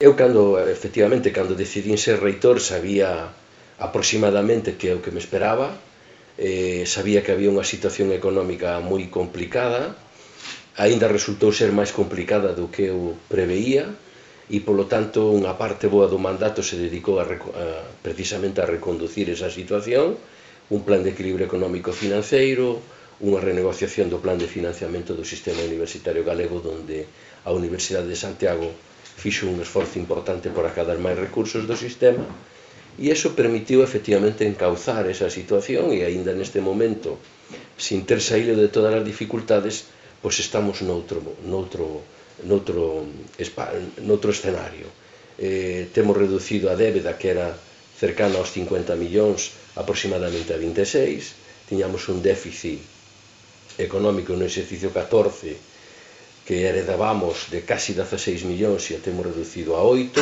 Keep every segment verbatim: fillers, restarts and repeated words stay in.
Eu, cando, efectivamente, cando decidín ser reitor, sabía aproximadamente que é o que me esperaba, eh, sabía que había unha situación económica moi complicada, aínda resultou ser máis complicada do que eu preveía, e, polo tanto, unha parte boa do mandato se dedicou a, a, precisamente a reconducir esa situación, un plan de equilibrio económico financeiro, unha renegociación do plan de financiamento do sistema universitario galego, donde a Universidade de Santiago fixo un esforzo importante por acadar máis recursos do sistema, e iso permitiu efectivamente encauzar esa situación, e aínda neste momento, sin ter saído de todas as dificultades, pois estamos noutro, noutro, noutro, noutro escenario. Eh, temos reducido a débeda, que era cercana aos cincuenta millóns, aproximadamente a vinte e seis, tiñamos un déficit económico no exercicio catorce que heredábamos de casi dezaseis millóns e a temos reducido a oito,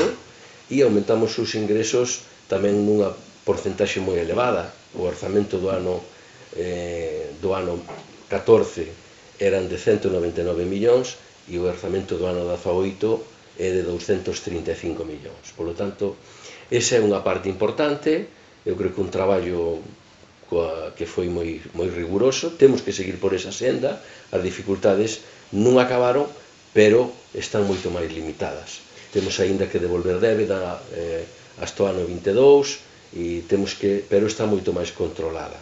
e aumentamos os ingresos tamén nunha porcentaxe moi elevada. O orzamento do ano eh, do ano catorce eran de cento noventa e nove millóns e o orzamento do ano dezaoito é de douscentos trinta e cinco millóns. Por lo tanto, esa é unha parte importante. Eu creo que un traballo coa, que foi moi, moi riguroso. Temos que seguir por esa senda. As dificultades non acabaron, pero están moito máis limitadas. Temos aínda que devolver débeda eh, hasta o ano vinte e dous, e temos que, pero está moito máis controlada.